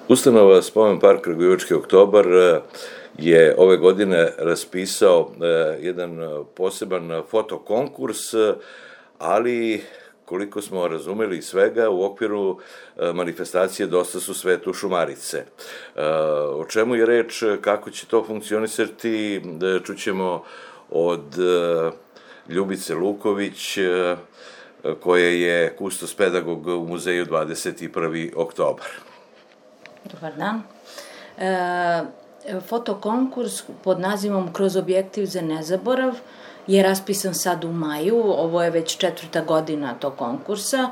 Ustanova Spomen park Kragujevački oktobar je ove godine raspisao jedan poseban fotokonkurs, ali koliko smo razumeli svega, u okviru manifestacije Dosta su svetu Šumarice. O čemu je reč, kako će to funkcionisati, čućemo od Ljubice Luković, koja je kustos pedagog u muzeju 21. oktobar. Dobar dan. Fotokonkurs pod nazivom Kroz objektiv za nezaborav je raspisan sad u maju, ovo je već 4. godina tog konkursa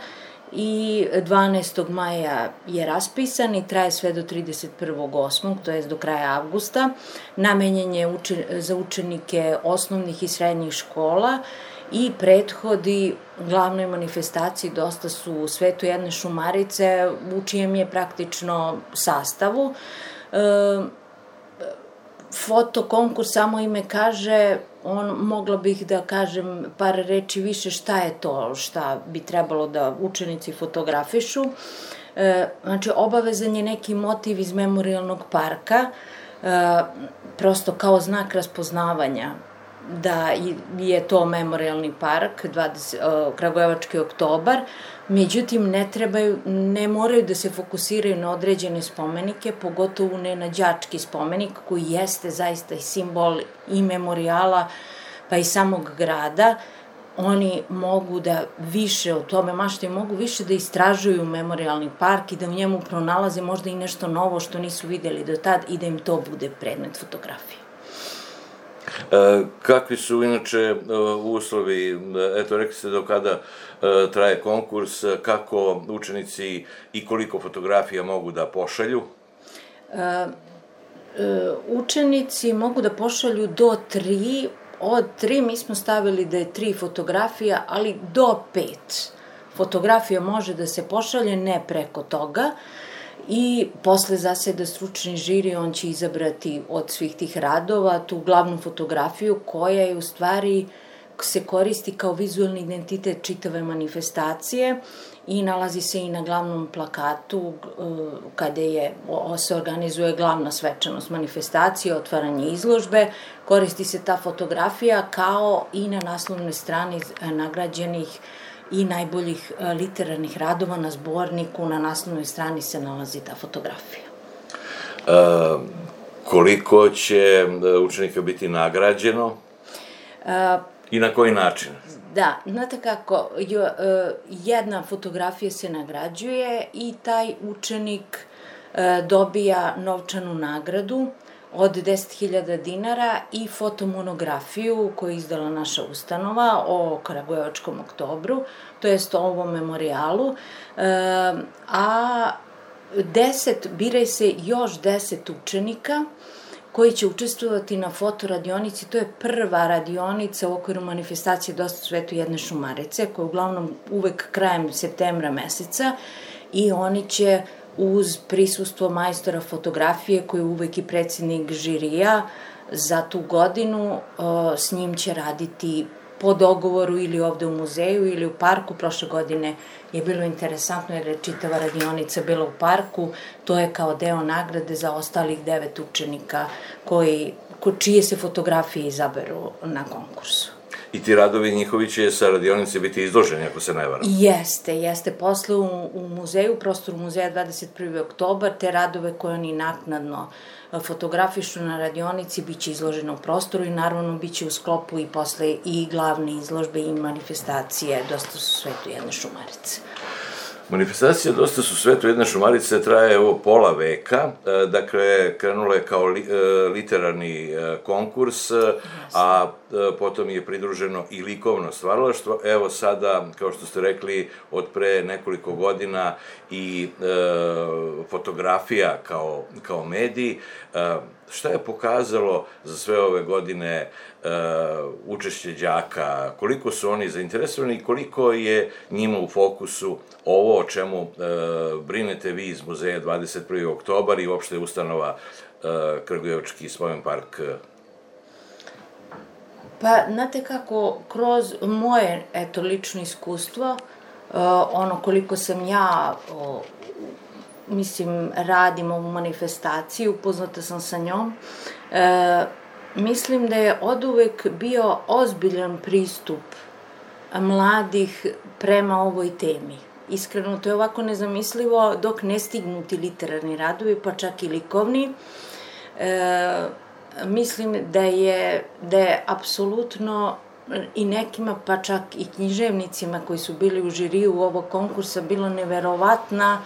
i 12. maja je raspisan i traje sve do 31.8., to je do kraja avgusta. Namenjen je za učenike osnovnih i srednjih škola i prethodi glavnoj manifestaciji Dosta su u svetu jedne Šumarice, u čijem je praktično sastavu. Fotokonkurs, samo ime kaže, mogla bih da kažem par reči više šta je to, šta bi trebalo da učenici fotografišu. Znači, obavezan je neki motiv iz memorijalnog parka, prosto kao znak raspoznavanja da je to memorijalni park, Kragujevački oktobar, međutim ne moraju da se fokusiraju na određene spomenike, pogotovo ne na đački spomenik koji jeste zaista i simbol i memorijala pa i samog grada. Oni mogu da više o tome maštaju, mogu više da istražuju memorijalni park i da u njemu pronalaze možda i nešto novo što nisu videli do tad i da im to bude predmet fotografije. Kakvi su inače uslovi, eto rekli ste do kada traje konkurs, kako učenici i koliko fotografija mogu da pošalju? Učenici mogu da pošalju do 3, od 3 mi smo stavili da je 3 fotografija, ali do 5 fotografija može da se pošalje, ne preko toga. I posle zaseda stručni žiri, on će izabrati od svih tih radova tu glavnu fotografiju koja je u stvari se koristi kao vizualni identitet čitave manifestacije i nalazi se i na glavnom plakatu kada se organizuje glavna svečanost manifestacije, otvaranje izložbe, koristi se ta fotografija kao i na naslovnoj strani nagrađenih i najboljih literarnih radova na zborniku, na naslovnoj strani se nalazi ta fotografija. Koliko će učenika biti nagrađeno i na koji način? Da, znate kako, jedna fotografija se nagrađuje i taj učenik dobija novčanu nagradu od 10.000 dinara i fotomonografiju koju je izdala naša ustanova o Kragujevačkom oktobru, to jest o ovom memorijalu, a biraj se još 10 učenika koji će učestvovati na fotoradionici. To je prva radionica u okviru manifestacije Dosta svetu jedne Šumarice, koja je uglavnom uvek krajem septembra meseca, i oni će uz prisustvo majstora fotografije, koji je uvek i predsednik žirija za tu godinu, s njim će raditi po dogovoru ili ovde u muzeju ili u parku. Prošle godine je bilo interesantno jer je čitava radionica bila u parku. To je kao deo nagrade za ostalih 9 učenika čije se fotografije izaberu na konkursu. I ti radovi njihovi će sa radionice biti izloženi, ako se ne varam? Jeste. Posle u muzeju, prostoru muzeja 21. oktobar, te radove koje oni naknadno fotografišu na radionici biće izloženo u prostoru i naravno biće u sklopu i posle i glavne izložbe i manifestacije Dosta su svetu jedne Šumarice. Manifestacija Dosta su svetu jedne Šumarice traje pola veka, dakle krenula je kao literarni konkurs, a potom je pridruženo i likovno stvaralaštvo. Evo sada, kao što ste rekli, od pre nekoliko godina i fotografija kao medij. Šta je pokazalo za sve ove godine učešće đaka, koliko su oni zainteresovani i koliko je njima u fokusu ovo o čemu brinete vi iz muzeja 21. oktobar i uopšte ustanova Kragujevački spomen park? Pa, znate kako, kroz moje, lično iskustvo, koliko sam ja radim ovu manifestaciju, upoznata sam sa njom, mislim da je oduvek bio ozbiljan pristup mladih prema ovoj temi. Iskreno, to je ovako nezamislivo dok ne stignu ti literarni radovi, pa čak i likovni. Mislim da je apsolutno i nekima, pa čak i književnicima koji su bili u žiriju ovog konkursa, bilo neverovatna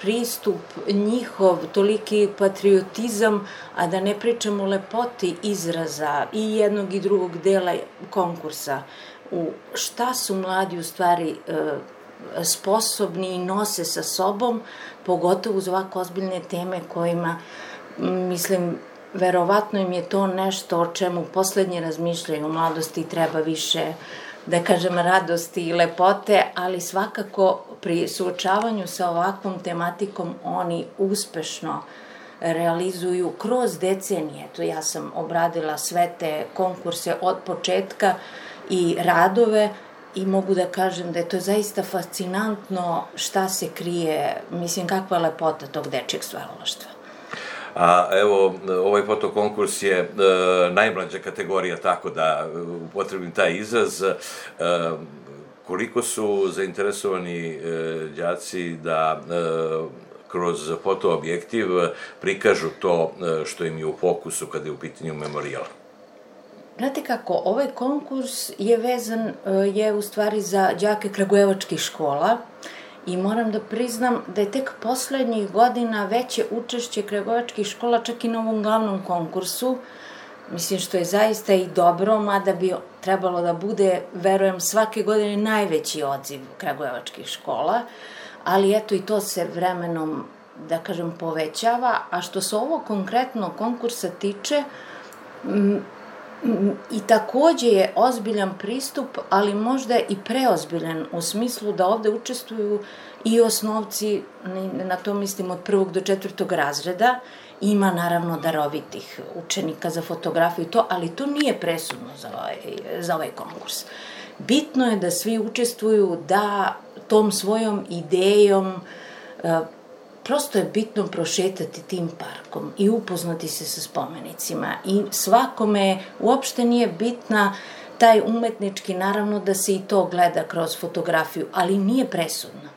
pristup njihov, toliki patriotizam, a da ne pričamo o lepoti izraza i jednog i drugog dela konkursa. U šta su mladi u stvari sposobni i nose sa sobom, pogotovo uz ovako ozbiljne teme kojima, mislim, verovatno im je to nešto o čemu poslednje razmišljaju u mladosti, treba više, da kažem, radosti i lepote, ali svakako pri suočavanju sa ovakvom tematikom oni uspešno realizuju kroz decenije. To ja sam obradila sve te konkurse od početka i radove i mogu da kažem da je to zaista fascinantno šta se krije, mislim, kakva lepota tog dečjeg stvaralaštva. A evo, ovaj fotokonkurs je najmlađa kategorija, tako da upotrebim taj izraz. Koliko su zainteresovani đaci da kroz fotoobjektiv prikažu to što im je u fokusu kada je u pitanju memorijal? Znate kako, ovaj konkurs je vezan, je u stvari za đake kragujevačkih škola i moram da priznam da je tek poslednjih godina veće učešće kragujevačkih škola čak i na ovom glavnom konkursu, mislim što je zaista i dobro, mada bi trebalo da bude, verujem, svake godine najveći odziv kragujevačkih škola, ali eto i to se vremenom, da kažem, povećava, a što se ovo konkretno konkursa tiče, i takođe je ozbiljan pristup, ali možda i preozbiljan u smislu da ovde učestvuju i osnovci, na to mislim od 1. do 4. razreda, ima naravno darovitih učenika za fotografiju i to, ali to nije presudno za ovaj konkurs. Bitno je da svi učestvuju, da tom svojom idejom, prosto je bitno prošetati tim parkom i upoznati se sa spomenicima i svakome uopšte nije bitna taj umetnički, naravno da se i to gleda kroz fotografiju, ali nije presudno,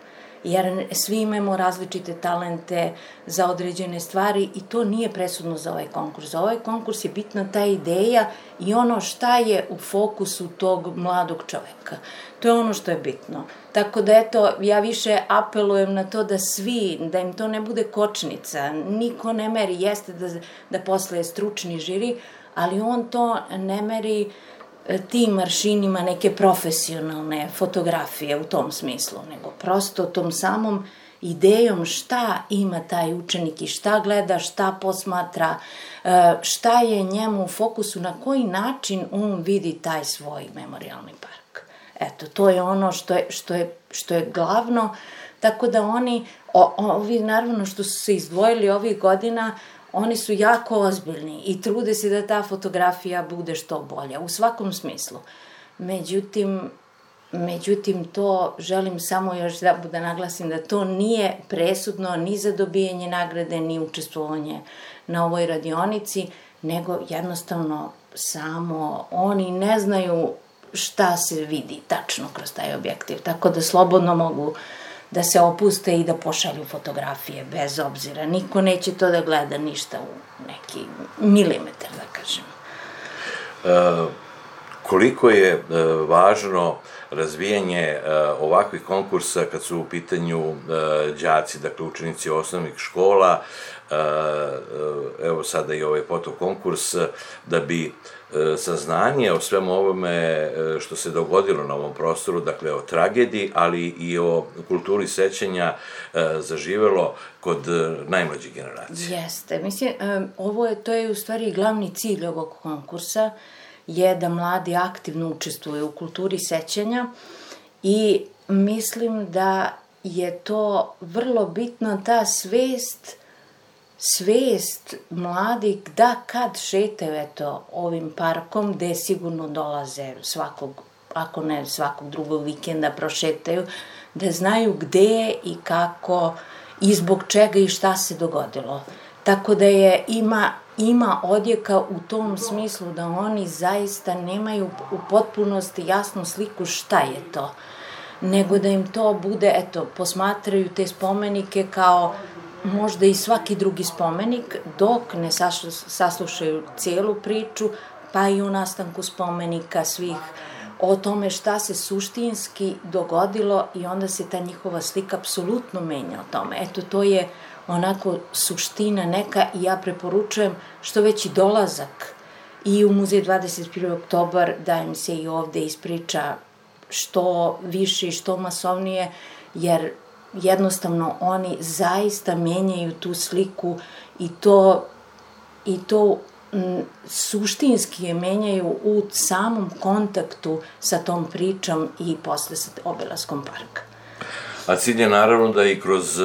jer svi imamo različite talente za određene stvari i to nije presudno za ovaj konkurs. Za ovaj konkurs je bitna ta ideja i ono šta je u fokusu tog mladog čoveka. To je ono što je bitno. Tako da, eto, ja više apelujem na to da svi, da im to ne bude kočnica, niko ne meri, jeste da posle je stručni žiri, ali on to ne meri tim aršinima neke profesionalne fotografije u tom smislu, nego prosto tom samom idejom šta ima taj učenik i šta gleda, šta posmatra, šta je njemu u fokusu, na koji način on vidi taj svoj memorijalni park. Eto, to je ono što je glavno, tako da ovi naravno što su se izdvojili ovih godina, oni su jako ozbiljni i trude se da ta fotografija bude što bolja, u svakom smislu. Međutim, to želim samo još da naglasim da to nije presudno ni za dobijanje nagrade, ni učestvovanje na ovoj radionici, nego jednostavno samo oni ne znaju šta se vidi tačno kroz taj objektiv, tako da slobodno mogu da se opuste i da pošalju fotografije, bez obzira. Niko neće to da gleda ništa u neki milimetar, da kažem. Koliko je važno razvijanje ovakvih konkursa kad su u pitanju đaci, dakle učenici osnovnih škola, evo sada i ovaj fotokonkurs, da bi saznanje o svemu ovome što se dogodilo na ovom prostoru, dakle o tragediji, ali i o kulturi sećanja zaživelo kod najmlađih generacija. Jeste, mislim, to je u stvari glavni cilj ovog konkursa, je da mladi aktivno učestvuju u kulturi sećanja i mislim da je to vrlo bitno, ta svest mladih da kad šetaju ovim parkom, gde sigurno dolaze svakog, ako ne svakog drugog vikenda prošetaju, da znaju gde i kako i zbog čega i šta se dogodilo. Tako da ima odjeka u tom smislu da oni zaista nemaju u potpunosti jasnu sliku šta je to, nego da im to bude, eto, posmatraju te spomenike kao možda i svaki drugi spomenik, dok ne saslušaju cijelu priču, pa i u nastanku spomenika svih, o tome šta se suštinski dogodilo i onda se ta njihova slika apsolutno menja o tome. Eto, to je onako suština neka i ja preporučujem što veći dolazak i u muzej 21. oktobar da im se i ovde ispriča što više i što masovnije, jer jednostavno oni zaista menjaju tu sliku i to suštinski je menjaju u samom kontaktu sa tom pričom i posle sa obilaskom parka. A cilj je naravno da i kroz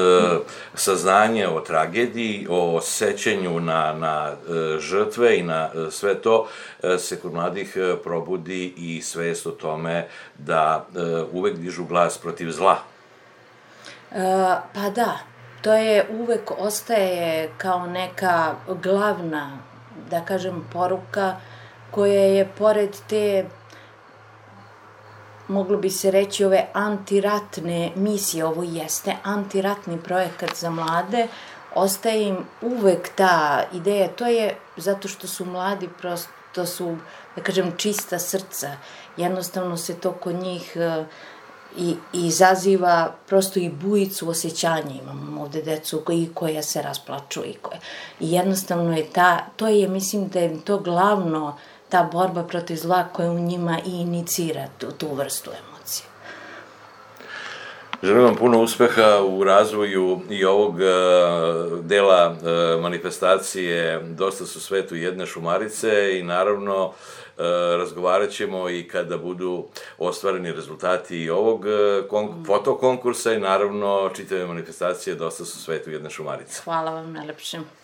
saznanje o tragediji, o sećanju na žrtve i na sve to, se kod mladih probudi i svest o tome da uvek dižu glas protiv zla. Pa da, to je uvek ostaje kao neka glavna, da kažem, poruka koja je pored te, moglo bi se reći, ove antiratne misije, ovo jeste antiratni projekat za mlade, ostaje im uvek ta ideja, to je zato što su mladi, prosto su, da kažem, čista srca, jednostavno se to kod njih i izaziva prosto i bujicu osjećanja. Imamo ovde decu koja se rasplaču i jednostavno je to je, mislim da je to glavno, ta borba protiv zla koja u njima i inicira tu vrstu emocije. Želim vam puno uspeha u razvoju i ovog dela manifestacije Dosta su svetu jedne Šumarice i naravno razgovarat ćemo i kada budu ostvareni rezultati i ovog fotokonkursa i naravno čitave manifestacije Dosta su svetu jedne Šumarice. Hvala vam najlepše.